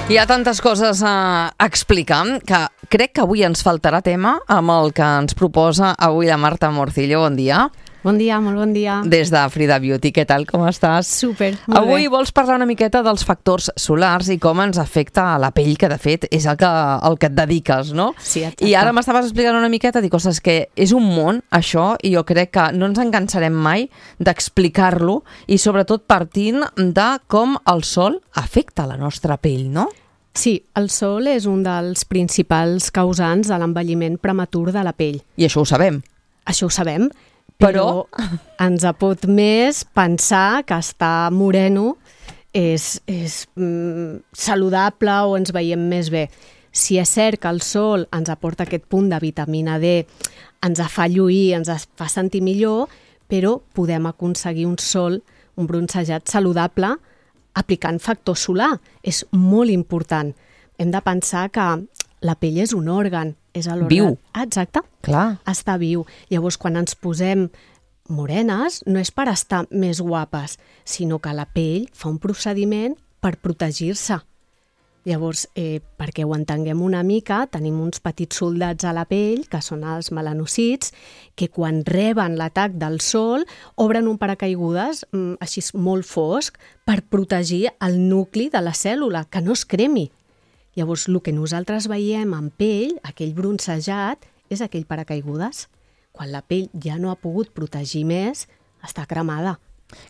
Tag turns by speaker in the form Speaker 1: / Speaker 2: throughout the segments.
Speaker 1: Hi ha tantes coses a explicar que crec que avui ens faltarà tema amb el que ens proposa avui la Marta Morcillo. Bon dia.
Speaker 2: Bon dia, molt bon dia.
Speaker 1: Des de Frida Beauty, què tal, com estàs?
Speaker 2: Súper, molt bé.
Speaker 1: Avui vols parlar una miqueta dels factors solars i com ens afecta a la pell, que de fet és el que et dediques, no?
Speaker 2: Sí, exacte.
Speaker 1: I ara m'estaves explicant una miqueta, dic, ostres, que és un món, això, i jo crec que no ens en cansarem mai d'explicar-lo i sobretot partint de com el sol afecta la nostra pell, no?
Speaker 2: Sí, el sol és un dels principals causants de l'envelliment prematur de la pell.
Speaker 1: I això ho sabem.
Speaker 2: Això ho sabem, però ens pot més pensar que estar moreno és saludable o ens veiem més bé. Si és cert que el sol ens aporta aquest punt de vitamina D, ens fa lluir, ens fa sentir millor, però podem aconseguir un sol, un bronzejat saludable aplicant factor solar. És molt important. Hem de pensar que la pell és un òrgan. És l'òrgan.
Speaker 1: Viu.
Speaker 2: Exacte.
Speaker 1: Clar.
Speaker 2: Està viu. Llavors, quan ens posem morenes, no és per estar més guapes, sinó que la pell fa un procediment per protegir-se. Llavors, perquè ho entenguem una mica, tenim uns petits soldats a la pell, que són els melanòcits, que quan reben l'atac del sol, obren un paracaigudes així molt fosc per protegir el nucli de la cèl·lula, que no es cremi. Llavors, el que nosaltres veiem en pell, aquell bronzejat, és aquell paracaigudes. Quan la pell ja no ha pogut protegir més, està cremada.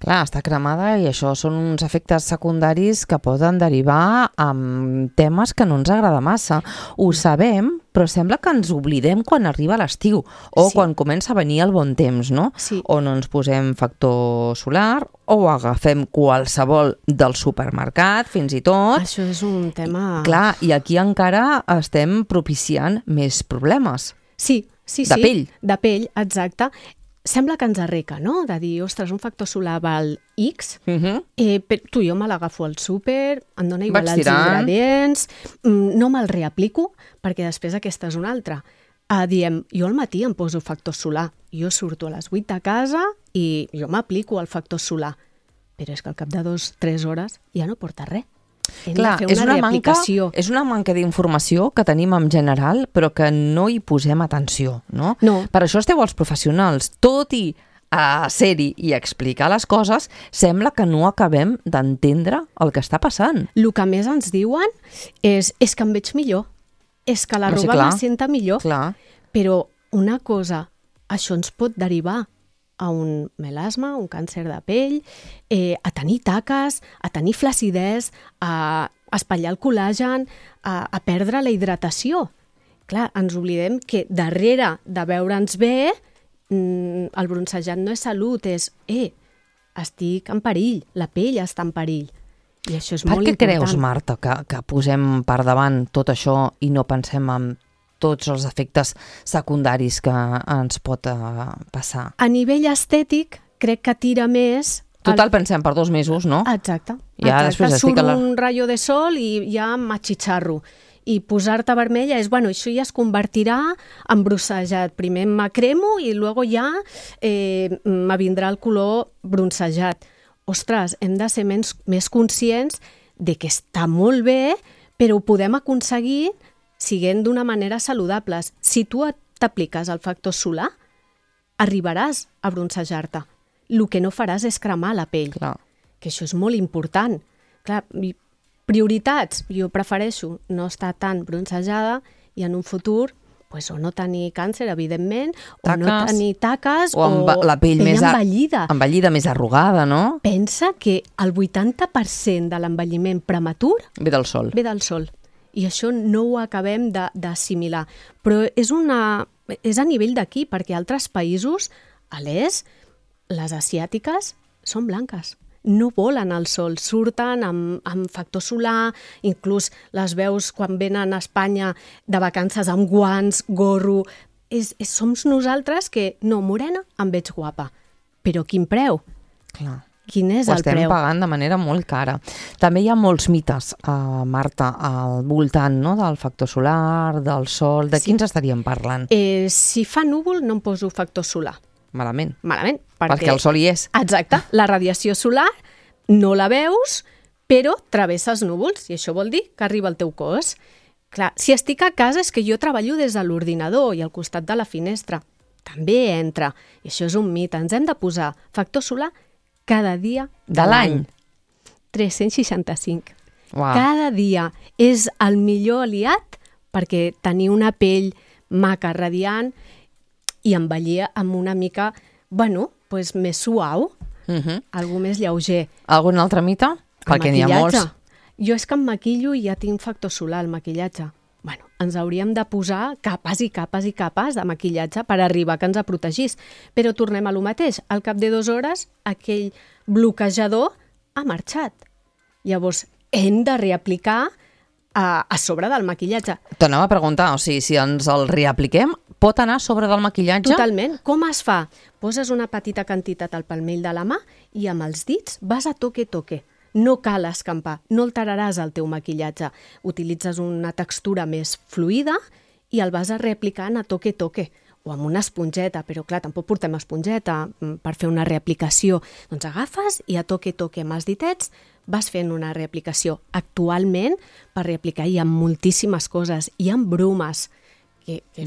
Speaker 1: Clar, està cremada i això són uns efectes secundaris que poden derivar amb temes que no ens agrada massa. Ho sabem, però sembla que ens oblidem quan arriba l'estiu o quan comença a venir el bon temps, no?
Speaker 2: Sí.
Speaker 1: O no ens posem factor solar o agafem qualsevol del supermercat, fins i tot.
Speaker 2: Això és un tema...
Speaker 1: Clar, i aquí encara estem propiciant més problemes.
Speaker 2: Sí.
Speaker 1: De pell.
Speaker 2: De pell, exacte. Sembla que ens arreca, no? De dir, ostres, un factor solar val X, però tu i jo me l'agafo al súper, em dona igual els ingredients, no me'l reaplico, perquè després aquesta és una altra. Diem, jo al matí em poso factor solar, jo surto a les 8 de casa i jo m'aplico el factor solar, però és que al cap de 2-3 hores ja no porta res.
Speaker 1: Clar, és una manca d'informació que tenim en general, però que no hi posem atenció, no?
Speaker 2: No.
Speaker 1: Per això esteu els professionals. Tot i ser-hi i explicar les coses, sembla que no acabem d'entendre el que està passant.
Speaker 2: El que més ens diuen és que em veig millor, és que l'arruga la senta millor.
Speaker 1: Clar.
Speaker 2: Però una cosa, això ens pot derivar a un melasma, un càncer de pell, a tenir taques, a tenir flacidesa, a espatllar el col·làgen, a perdre la hidratació. Clar, ens oblidem que darrere de veure'ns bé, el bronzejat no és salut, és estic en perill, la pell està en perill. I això és molt important.
Speaker 1: Per què creus, Marta, que posem per davant tot això i no pensem en tots els efectes secundaris que ens pot passar?
Speaker 2: A nivell estètic, crec que tira més...
Speaker 1: Total, pensem per 2 mesos, no?
Speaker 2: Exacte.
Speaker 1: Surt
Speaker 2: un rayo de sol i ja m'atxitxarro. I posar-te vermella és, això ja es convertirà en bronzejat. Primer m'acremo i luego ja me vindrà el color bronzejat. Ostres, hem de ser més conscients de que està molt bé, però ho podem aconseguir siguent d'una manera saludables. Si tu t'apliques el factor solar, arribaràs a bronzejar-te. El que no faràs és cremar la pell, que això és molt important. Clar, prioritats, jo prefereixo no estar tan bronzejada i en un futur o no tenir càncer, evidentment, o no tenir taques,
Speaker 1: o la pell més
Speaker 2: envellida,
Speaker 1: més arrugada, no?
Speaker 2: Pensa que el 80% de l'envelliment prematur
Speaker 1: ve del sol.
Speaker 2: I això no ho acabem d'assimilar. Però és a nivell d'aquí, perquè altres països, a l'est, les asiàtiques, són blanques. No volen el sol, surten amb factor solar, inclús les veus quan venen a Espanya de vacances amb guants, gorro... Som nosaltres que, no, morena, em veig guapa. Però quin preu?
Speaker 1: Clar.
Speaker 2: Quin és el preu?
Speaker 1: Ho estem pagant de manera molt cara. També hi ha molts mites, Marta, al voltant del factor solar, del sol... De quins estaríem parlant?
Speaker 2: Si fa núvol no em poso factor solar.
Speaker 1: Malament.
Speaker 2: Malament.
Speaker 1: Perquè el sol hi és.
Speaker 2: Exacte. La radiació solar no la veus, però travessa els núvols, i això vol dir que arriba al teu cos. Clar, si estic a casa és que jo treballo des de l'ordinador i al costat de la finestra. També entra. I això és un mite. Ens hem de posar factor solar cada dia
Speaker 1: De l'any?
Speaker 2: 365.
Speaker 1: Uau.
Speaker 2: Cada dia. És el millor aliat perquè tenir una pell maca, radiant i envellir amb una mica, pues més suau, algo més lleuger.
Speaker 1: Algun altre mite? Perquè n'hi ha molts.
Speaker 2: Jo és que em maquillo i ja tinc factor solar, el maquillatge. Ens hauríem de posar capes i capes i capes de maquillatge per arribar que ens protegís. Però tornem a lo mateix. Al cap de 2 hores, aquell bloquejador ha marxat. Llavors, hem de reaplicar a sobre del maquillatge.
Speaker 1: T'anava a preguntar, o sigui, si ens el reapliquem, pot anar a sobre del maquillatge?
Speaker 2: Totalment. Com es fa? Poses una petita quantitat al palmell de la mà i amb els dits vas a toque-toque. No cal escampar, no alteraràs el teu maquillatge. Utilitzes una textura més fluida i el vas a reaplicant a toque-toque o amb una esponjeta, però clar, tampoc portem esponjeta per fer una reaplicació. Doncs agafes i a toque-toque amb els ditets vas fent una reaplicació. Actualment, per reaplicar hi ha moltíssimes coses. Hi ha brumes.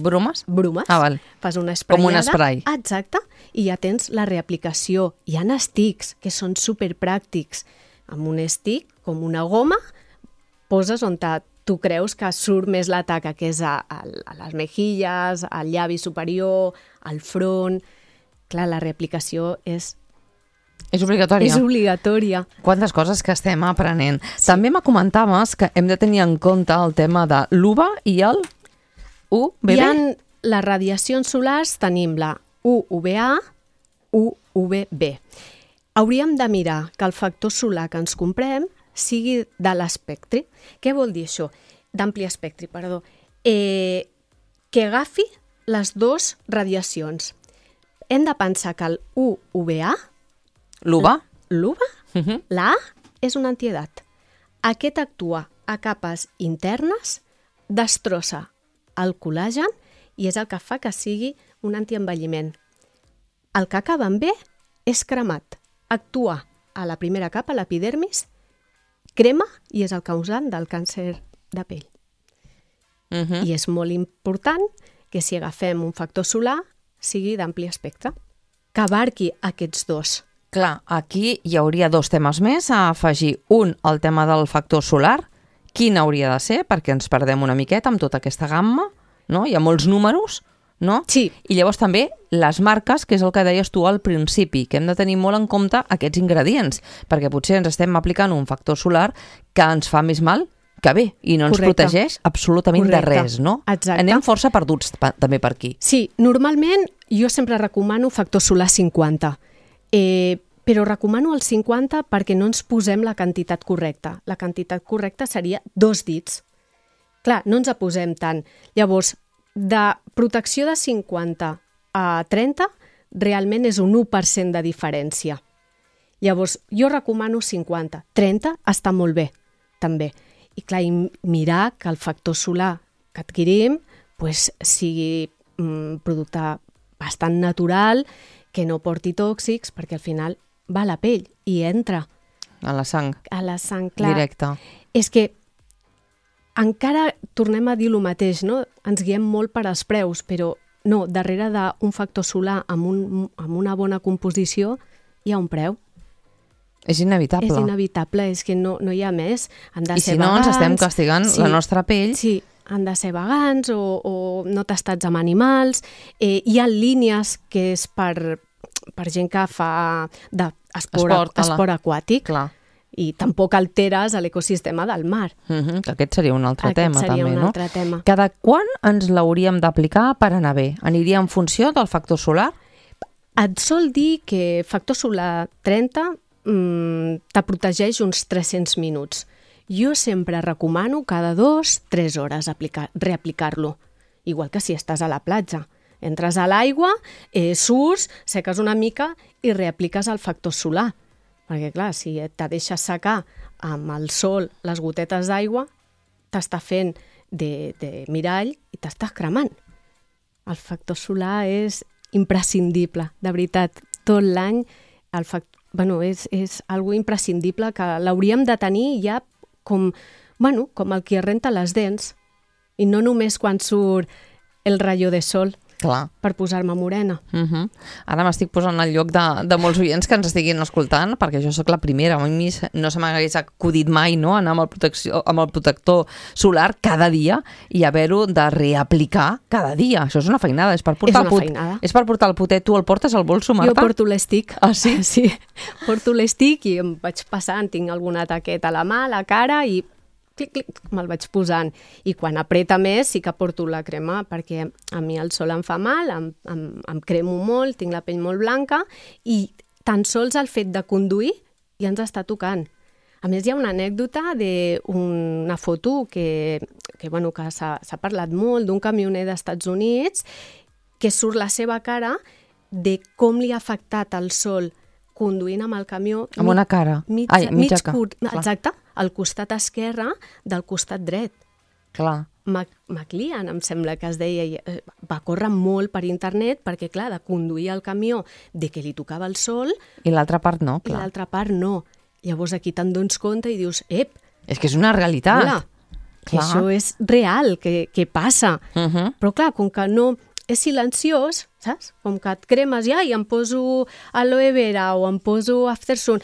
Speaker 1: Brumes?
Speaker 2: Brumes.
Speaker 1: Ah, val.
Speaker 2: Fas una espraiada.
Speaker 1: Com un esprai.
Speaker 2: Exacte. I ja tens la reaplicació. Hi ha sticks, que són superpràctics. Amb un stick, com una goma, poses on tu creus que surt més la taca, que és a les mejilles, al llavi superior, al front. Clar, la reaplicació és
Speaker 1: obligatòria.
Speaker 2: És obligatòria.
Speaker 1: Quantes coses que estem aprenent. Sí. També m'acomentaves que hem de tenir en compte el tema de l'UVA i el UVB.
Speaker 2: Hi ha les radiacions solars, tenim la UVA, UVB. Hauríem de mirar que el factor solar que ens comprem sigui de l'espectre. Què vol dir això? D'ampli espectre, perdó. Que agafi les 2 radiacions. Hem de pensar que el UVA,
Speaker 1: l'UVA,
Speaker 2: la A és una antiedat. Aquest actua a capes internes, destrossa el col·làgen i és el que fa que sigui un antienvelliment. El que acaba amb B és cremat. Actua a la primera capa, l'epidermis, crema i és el causant del càncer de pell. I és molt important que si agafem un factor solar sigui d'ampli espectre, que abarqui aquests 2.
Speaker 1: Clar, aquí hi hauria 2 temes més a afegir. Un, el tema del factor solar, quin hauria de ser, perquè ens perdem una miqueta amb tota aquesta gamma, no? Hi ha molts números, no?
Speaker 2: Sí.
Speaker 1: I llavors també les marques, que és el que deies tu al principi, que hem de tenir molt en compte aquests ingredients, perquè potser ens estem aplicant un factor solar que ens fa més mal que bé, i no ens protegeix absolutament de res, no?
Speaker 2: Exacte.
Speaker 1: Anem força perduts també per aquí.
Speaker 2: Sí, normalment jo sempre recomano factor solar 50, però recomano el 50 perquè no ens posem la quantitat correcta. La quantitat correcta seria 2 dits. Clar, no ens posem tant. Llavors, de protecció de 50 a 30, realment és un 1% de diferència. Llavors, jo recomano 50. 30 està molt bé, també. I clar, mirar que el factor solar que adquirim sigui un producte bastant natural, que no porti tòxics, perquè al final va a la pell i entra.
Speaker 1: A la sang.
Speaker 2: A la sang, clar.
Speaker 1: Directe.
Speaker 2: És que encara tornem a dir el mateix, no? Ens guiem molt per als preus, però no, darrere d'un factor solar amb una bona composició hi ha un preu.
Speaker 1: És inevitable.
Speaker 2: És inevitable, és que no hi ha més. Han de
Speaker 1: I
Speaker 2: ser
Speaker 1: si no,
Speaker 2: vegans,
Speaker 1: ens estem castigant la nostra pell.
Speaker 2: Sí, han de ser vegans o no tastats amb animals. Hi ha línies que és per gent que fa esport aquàtic.
Speaker 1: Clar.
Speaker 2: I tampoc alteres l'ecosistema del mar.
Speaker 1: Aquest seria un altre tema, també, no?
Speaker 2: Aquest seria un altre tema.
Speaker 1: Cada quan ens l'hauríem d'aplicar per anar bé? Aniria en funció del factor solar?
Speaker 2: Et sol dir que factor solar 30 te protegeix uns 300 minuts. Jo sempre recomano cada 2-3 hores reaplicar-lo, igual que si estàs a la platja. Entres a l'aigua, surts, seques una mica i reapliques el factor solar. Perquè, clar, si te deixes secar amb el sol les gotetes d'aigua, t'està fent de mirall i t'estàs cremant. El factor solar és imprescindible, de veritat. Tot l'any és algo imprescindible que l'hauríem de tenir ja com el que renta les dents i no només quan surt el rayo de sol.
Speaker 1: Clar.
Speaker 2: Per posar-me morena.
Speaker 1: Ara m'estic posant al lloc de molts oients que ens estiguin escoltant, perquè jo sóc la primera. A mi no se m'hagués acudit mai, no?, anar amb el protector solar cada dia i haver-ho de reaplicar cada dia. Això és una feinada. És per portar el potet. Tu el portes al bolso, Marta?
Speaker 2: Jo porto l'estic.
Speaker 1: Ah, sí?
Speaker 2: Sí, porto l'estic i em vaig passant, tinc alguna taqueta a la mà, a la cara i clic, me'l vaig posant. I quan apreta més sí que porto la crema, perquè a mi el sol em fa mal, em cremo molt, tinc la pell molt blanca i tan sols el fet de conduir ja ens està tocant. A més, hi ha una anècdota d'una foto que s'ha parlat molt, d'un camioner d'Estats Units que surt la seva cara de com li ha afectat el sol conduint amb el camió.
Speaker 1: Amb una cara.
Speaker 2: Exacte, al costat esquerre del costat dret.
Speaker 1: Clar.
Speaker 2: McLean, em sembla que es deia, va córrer molt per internet perquè, clar, de conduir el camió de que li tocava el sol...
Speaker 1: I l'altra part no, clar.
Speaker 2: I l'altra part no. Llavors aquí te'n dones compte i dius,
Speaker 1: és que és una realitat.
Speaker 2: Hola, que això és real, que passa. Però clar, com que no... és silenciós, saps? Com que et cremes i em poso aloe vera o em poso aftersun.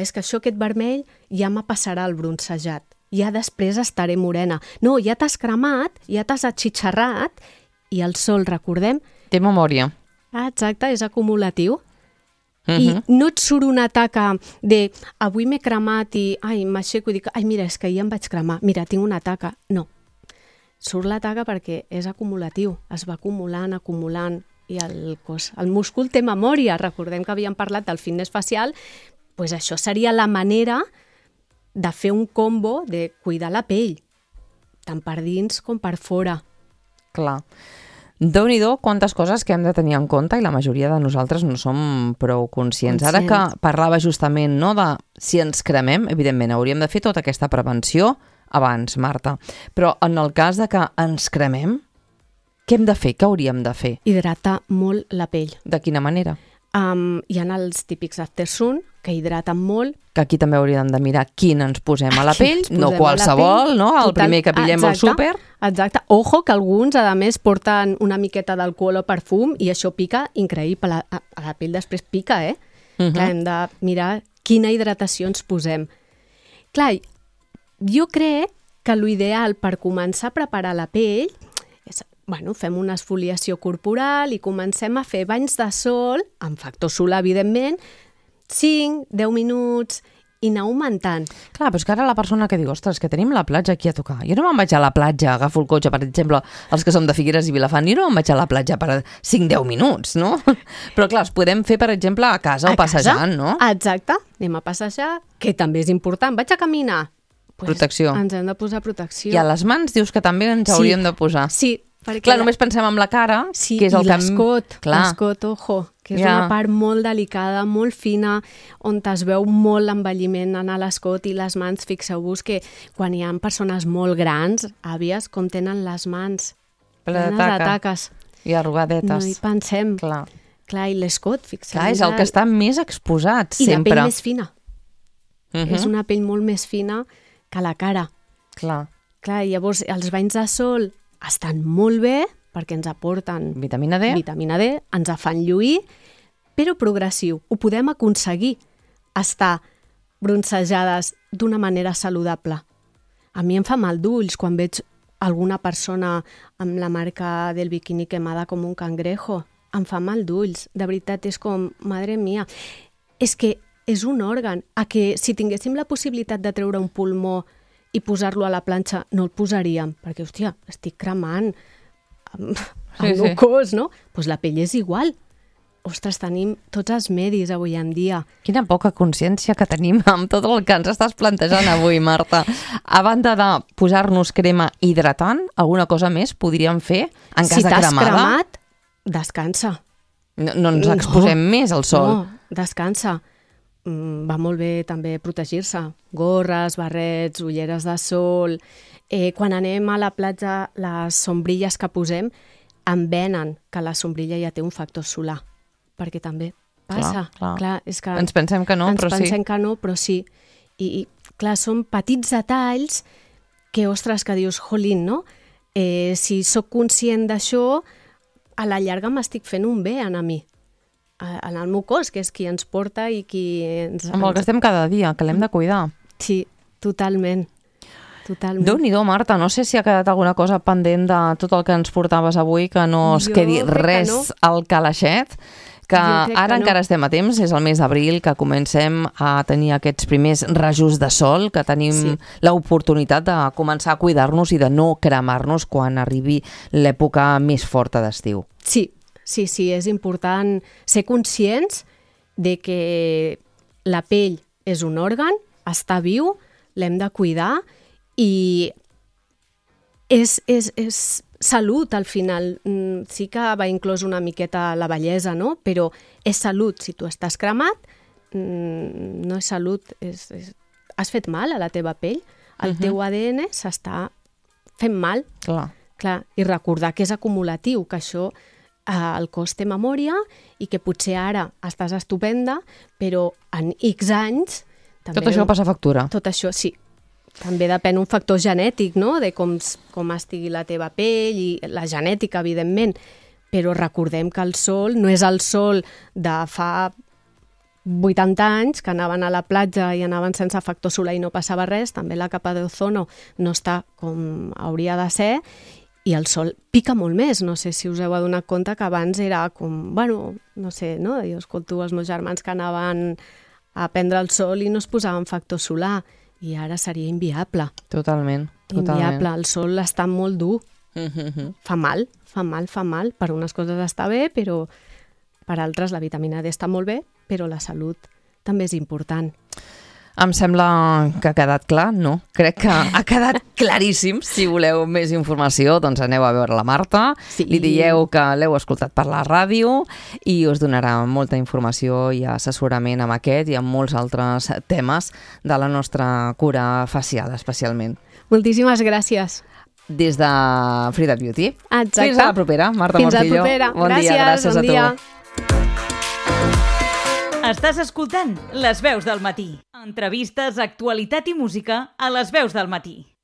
Speaker 2: És que això, aquest vermell, ja me passarà el bronzejat. Ja després estaré morena. No, ja t'has cremat, ja t'has atxitxarrat i el sol, recordem...
Speaker 1: Té memòria.
Speaker 2: Exacte, és acumulatiu. I no et surt una taca de avui m'he cremat i m'aixeco i dic, mira, és que ja em vaig cremar, mira, tinc una taca. No. Surt la taca perquè és acumulatiu, es va acumulant, i el múscul té memòria. Recordem que havíem parlat del fitness facial, doncs això seria la manera de fer un combo de cuidar la pell, tant per dins com per fora.
Speaker 1: Clar. Déu-n'hi-do quantes coses que hem de tenir en compte i la majoria de nosaltres no som prou conscients. Ara que parlava justament de si ens cremem, evidentment hauríem de fer tota aquesta prevenció abans, Marta. Però en el cas de que ens cremem, què hem de fer? Què hauríem de fer?
Speaker 2: Hidratar molt la pell.
Speaker 1: De quina manera?
Speaker 2: Hi ha els típics aftersun, que hidraten molt.
Speaker 1: Que aquí també hauríem de mirar quin ens posem a la pell, no qualsevol, no? El primer que pillem al súper.
Speaker 2: Exacte. Ojo, que alguns, a més, porten una miqueta d'alcohol o perfum i això pica increïble. A la pell després pica, Clar, hem de mirar quina hidratació ens posem. Clar, jo crec que l'ideal per començar a preparar la pell és, fem una esfoliació corporal i comencem a fer banys de sol, amb factor solar, evidentment, 5, 10 minuts i anar augmentant.
Speaker 1: Clar, però és que ara la persona que diu, ostres, que tenim la platja aquí a tocar. Jo no me'n vaig a la platja, agafo el cotxe, per exemple, els que som de Figueres i Vilafant, jo no me'n vaig a la platja per 5-10 minuts, no? Però clar, els podem fer, per exemple, a casa o passejant, no?
Speaker 2: Exacte, anem a passejar, que també és important. Vaig a caminar.
Speaker 1: Protecció.
Speaker 2: Ens hem de posar protecció.
Speaker 1: I a les mans dius que també ens hauríem de posar.
Speaker 2: Sí, perquè...
Speaker 1: Clar, només pensem en la cara, que és el
Speaker 2: que... l'escot, ojo, que és una part molt delicada, molt fina, on es veu molt l'envelliment en l'escot i les mans. Fixeu-vos que quan hi ha persones molt grans, àvies, com tenen les mans
Speaker 1: plenes de taques i arrugadetes.
Speaker 2: No hi pensem. Clar, i l'escot, fixeu-vos.
Speaker 1: Clar, és el que està més exposat, sempre.
Speaker 2: I la pell més fina. És una pell molt més fina que la cara.
Speaker 1: Clar,
Speaker 2: llavors els banys de sol estan molt bé perquè ens aporten
Speaker 1: vitamina D,
Speaker 2: ens fan lluir, però progressiu. Ho podem aconseguir, estar bronzejades d'una manera saludable. A mi em fa mal d'ulls quan veig alguna persona amb la marca del biquini quemada com un cangrejo. Em fa mal d'ulls. De veritat, és com, madre mia. És que és un òrgan. A que si tinguéssim la possibilitat de treure un pulmó i posar-lo a la planxa, no el posaríem, perquè, hòstia, estic cremant amb el cos, no? Doncs la pell és igual. Ostres, tenim tots els medis avui en dia.
Speaker 1: Quina poca consciència que tenim amb tot el que ens estàs plantejant avui, Marta. A banda de posar-nos crema hidratant, alguna cosa més podríem fer en cas de cremada?
Speaker 2: Si t'has cremat, descansa.
Speaker 1: No ens exposem més al sol.
Speaker 2: No, descansa. Va molt bé també protegir-se. Gorres, barrets, ulleres de sol. Quan anem a la platja, les sombrilles que posem envenen que la sombrilla ja té un factor solar, perquè també passa. Clar, és que
Speaker 1: ens pensem que no, però sí.
Speaker 2: Ens pensem que no, però sí. I clar, són petits detalls que, ostres, que dius, jolín, no? Si sóc conscient d'això, a la llarga m'estic fent un bé a mi, en el meu cos, que és qui ens porta i qui ens...
Speaker 1: Amb el que estem cada dia, que l'hem de cuidar.
Speaker 2: Sí, totalment.
Speaker 1: Déu-n'hi-do, Marta, no sé si ha quedat alguna cosa pendent de tot el que ens portaves avui, que no es quedi res al calaixet, que ara encara estem a temps, és el mes d'abril, que comencem a tenir aquests primers rajos de sol, que tenim l'oportunitat de començar a cuidar-nos i de no cremar-nos quan arribi l'època més forta d'estiu.
Speaker 2: Sí, és important ser conscients de que la pell és un òrgan, està viu, l'hem de cuidar i és salut al final. Sí que va inclòs una miqueta la bellesa, no? Però és salut. Si tu estàs cremat, no és salut. Has fet mal a la teva pell. El teu ADN s'està fent mal. Clar. I recordar que és acumulatiu, que això el cos té memòria i que potser ara estàs estupenda, però en X anys...
Speaker 1: Tot això passa factura.
Speaker 2: Tot això, sí. També depèn un factor genètic, no?, de com estigui la teva pell i la genètica, evidentment. Però recordem que el sol no és el sol de fa 80 anys, que anaven a la platja i anaven sense factor solar i no passava res. També la capa d'ozono no està com hauria de ser i el sol pica molt més. No sé si us heu adonat compte que abans era com, bueno, no sé, no? Jo escolto els meus germans que anaven a prendre el sol i no es posaven factor solar. I ara seria inviable.
Speaker 1: Totalment.
Speaker 2: Inviable. El sol està molt dur. Fa mal. Per unes coses està bé, però per altres la vitamina D està molt bé, però la salut també és important.
Speaker 1: Em sembla que ha quedat clar, no? Crec que ha quedat claríssim. Si voleu més informació, doncs aneu a veure la Marta, li dieu que l'heu escoltat per la ràdio i us donarà molta informació i assessorament amb aquest i amb molts altres temes de la nostra cura facial, especialment.
Speaker 2: Moltíssimes gràcies.
Speaker 1: Des de Frida Beauty.
Speaker 2: Exacte.
Speaker 1: Fins a la propera, Marta Morcillo.
Speaker 2: Fins a la propera.
Speaker 1: Bon dia, gràcies a tu.
Speaker 3: Estàs escoltant Les Veus del Matí. Entrevistes, actualitat i música a Les Veus del Matí.